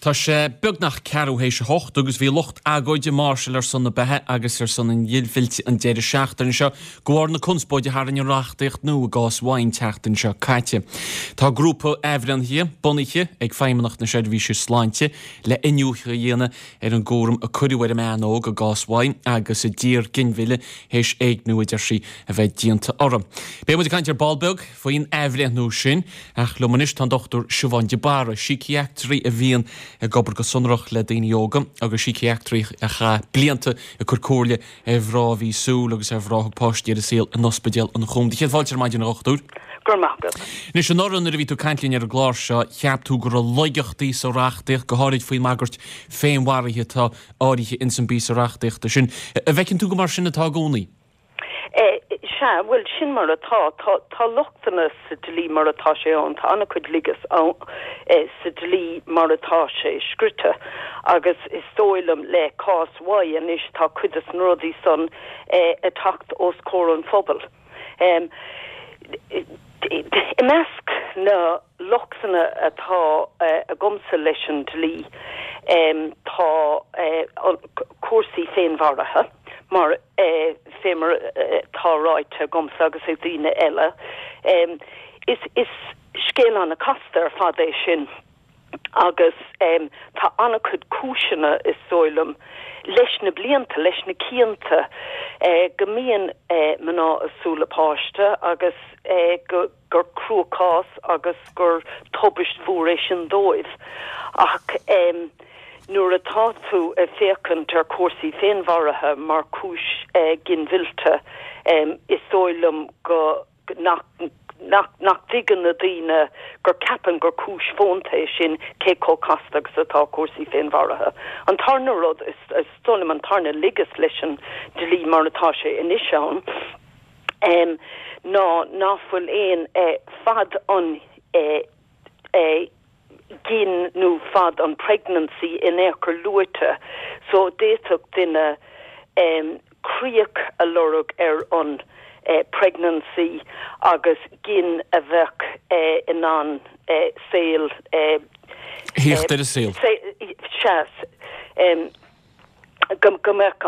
Tá sé beagnach ceathrú théis a hocht agus bhí lucht agóide ag máirseáil ar son na beatha agus ar son an ghinmhillte an deireadh seachtaine seo de bharr na conspóide a tharraing an reachtaíocht nua i gcás Y an tseachtain seo caite. Tá grúpa athbhreithnithe bunaithe ag Feidhmeannacht na Seirbhíse Sláinte le iniúchadh a dhéanamh ar an gcúram a cuireadh ar an mbean óg i gcás Y agus a d'iarr ginmhilleadh théis éigniú a deir sí a bheith déanta uirthi. Beidh muid ag caint ar ball beag faoin athbhreithniú sin. Ach liom anois tá an Dr Siobhán de Barra, síciatraí a bhíonn ag obair go sonrach le daoine óga agus síciatraí a chaith blianta ag cur comhairle ar mhná a bhí súil agus ar mhná a thug páistí ar an saol in Ospidéal an Chúim. Do chéad fáilte ar maidin, a Dhochtúir. Go raibh maith agat. Anois, anuraidh nuair a bhí tú ag caint linn ar an gclár seo, cheap tú go raibh laigeachtaí sa reachtaíocht, go háirid faoin mbagairt féinmharaithe atá áirithe ins an bpíosa reachtaíochta sin. An bhfeiceann tú gur mar sin atá i gcónaí? Sea, bhuel, sin mar atá. Tá, tá lochtanna sa dlí mar atá sé ann. Tá an-chuid laigeas ann sa dlí mar atá sé scrite. Agus is dóigh liom le cás Y anois tá cuid des na rudaí san ag teacht os comhair an phobail. I measc na lochtanna atá agamsa leis an dlí tá cúrsaí féinmharaithe mar fé mar atá ráite agamsa agus ag daoine eile. Is scéal an-chasta ar fad é sin agus tá an-chuid cúiseanna, is dóigh liom, leis na blianta, leis na cianta, go mbíonn mná ag súil le páiste agus go. gur cruachás agus gur tubaist mhór é sin dóibh. Ach nuair atá tú ag féachaint ar chúrsaí féinmharaithe mar chúis ginmhillte, is dóigh liom go nach nach nach dtuigeann na daoine gur ceapann gur cúis fónta é sin cé chomh casta agus atá cúrsaí féinmharaithe. An tarna rud, is dóigh liom an tarna laigeas leis an dlí mar atá sé anois ann, ná ná fuil aon fad an ghin nó fad an pregnancy in aon chor luaite so d'fhéadfadh duine críoch a lorg ar an pregnancy agus gin a bheadh in ann saol Theacht ar an saol. Sea. go mbeadh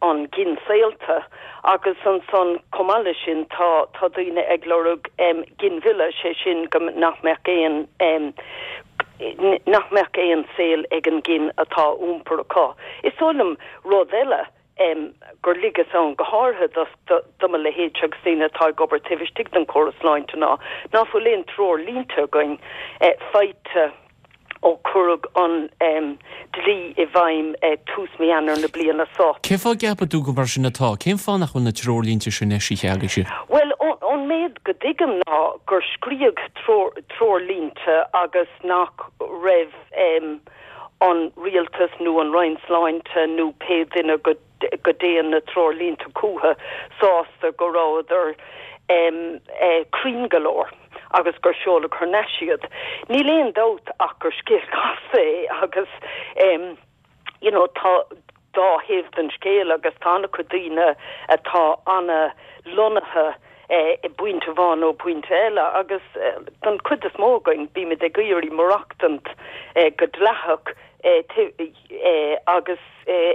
an ghin saolta agus ansan chomh maith leis sin tá tá daoine ag lorg ginmhilleadh, sé sin go nach mbeadh aon nach mbeadh aon saol ag an ghin atá á iompar acu. Is dóigh liom rud eile gur laigeas ann go háirithe do do mo leithéidse agus daoine atá ag obair taobh istigh den chóras sláinte ná ná fuil aon treoirlínte againn faighte ó cuireadh an dlí i bhfeidhm tús mí Eanáir na bliana seo. Cén fáth a gceapann tú gur mar sin atá? Cén fáth nach bhfuil na treoirlínte sin eisithe agaibhse? Bhuel, ón méid go dtuigim ná gur scríodh treoirlínte agus nach raibh an rialtas nó an Roinn Sláinte nó pé duine go go dtéann na treoirlínte chucu sásta go rabhadar cruinn go leor agus gur seoladh thar n-ais iad. Níl aon dabht ach gur scéal casta é agus you know tá dá thaobh den scéal agus tá an-chuid daoine atá ana-lonnaithe i bpointe amháin nó pointe eile agus don chuid is mó againn bímid ag iarraidh maireachtaint go dleathach agus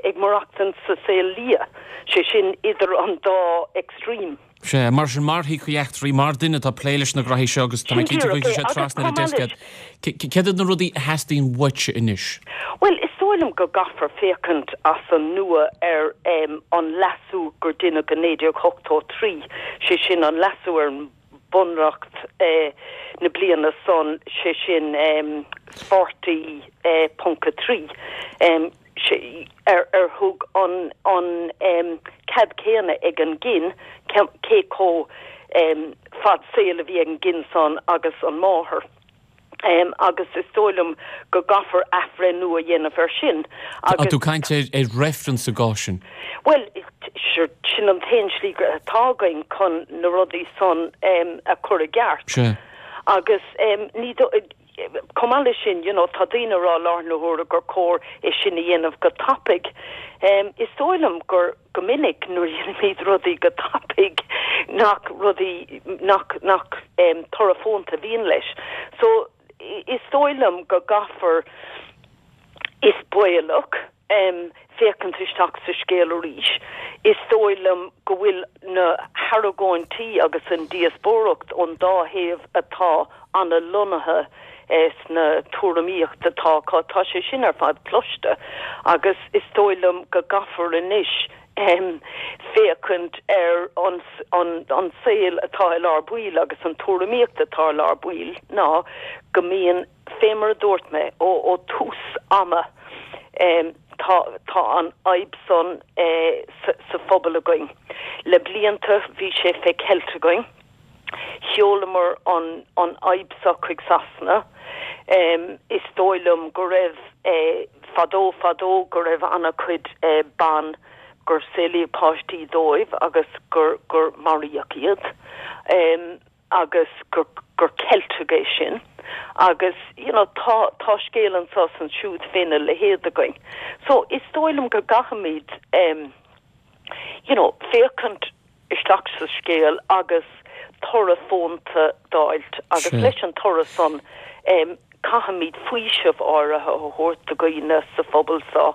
ag maireachtaint sa saol liath, sé sin idir an dá extreme. Sea, mar sin, mar shíciatraí, mar duine atá ag plé leis na graithí seo agus tá mé cinnte go gcuirfidh sé trasna ar an deasc iad, céard iad na rudaí a theastaíonn uaitse anois? Bhuel, is dóigh liom go gcaithfear féachaint as an nua ar an leasú gur deineadh i 1983, sé sin an leasú ar an Bunreacht na bliana san, sé sin 40.3, ar ar thug an an cead céanna ag an ghin, cé chomh fad saoil a bhí ag an ghin san agus an máthair. Agus is dóigh liom go gcaithfear athbhreithniú a dhéanamh air sin Tá agus. tú ag caint ar reifreann sa gcás sin? Bhuel, sure, sin an t-aon slí atá againn chun na rudaí san a chur i gceart. Sea. Agus ní dóigh, chomh maith leis sin, you know, tá daoine ag rá i láthair na huaire gur chóir é sin a dhéanamh go tapaidh. Is dóigh liom gur. go minic nuair a dhéanaimid rudaí go tapaidh nach rudaí nach nach toradh fónta a bhíonn leis. So is dóigh liom go gcaithfear. baolach féachaint isteach sa scéal arís. Is dóigh liom go bhfuil na hargóintí agus an díospóireacht ón dá thaobh atá ana-lonnaithe sna tuairimíocht atá acu, tá sé sin ar fad cloiste agus is dóigh liom go gcaithfear anois féachaint ar an an saol atá i lár baill agus an tuairimíocht atá i lár baill ná go mbíonn Fé mar a dúirt mé ó tús ama, tá tá an fhadhb san sa phobal againn. Le blianta bhí sé fé cheilt againn. Sheolamar an an fhadhb seo chuig Sasana. Is dóigh liom go raibh fadó fadó go raibh ana-chuid ban gur saolaíodh páistí dóibh agus gur gur maraíodh iad. agus gur gur ceilteadh é sin agus you know tá tá scéal anso is ansiúd féna leithéid againn. So is dóigh liom go gcaithfimid em you know féachaint isteach sa scéal agus toradh fónta d'fháilt agus leis an toradh san em Caithfimid faoiseamh áirithe a thabhairt do dhaoine sa phobal seo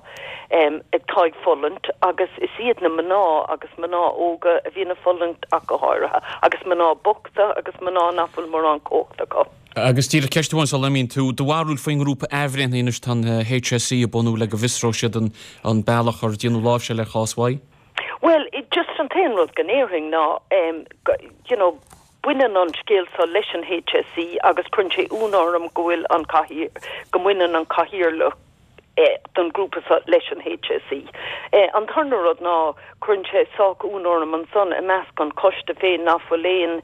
atá ag fulaingt agus is iad na mná agus mná óga a bhíonn ag fulaingt ach go háirithe, agus mná bochta agus mná nach bhfuil mórán cumhachta acu. Agus díreach ceist amháin sula n-imíonn tú, do bharúil faoin ngrúpa athbhreithnithe anois tá an HSE a bunú le go bhfiosróidh siad an bealach ar déanadh láimhseáil ar chás Y? Bhuel, just an t-aon rud go ndéarfainn ná, you know, Baineann an scéal seo leis an HSE agus cuireann sé ionadh orm go bhfuil an go mbaineann an cathaoirleach don ghrúpa seo leis an HSE. An tarna rud ná cuireann sé sách ionadh orm ansan i measc an choiste féin nach bhfuil aon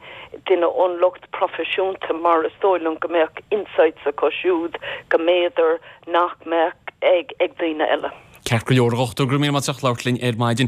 duine ón lucht proifisiúnta mar is dóigh liom go mbeadh insights acu siúd go mb'fhéidir nach mbeadh ag daoine eile. Ceart go leor, a Dhochtúir, go raibh míle maith agat as labhairt linn ar maidin.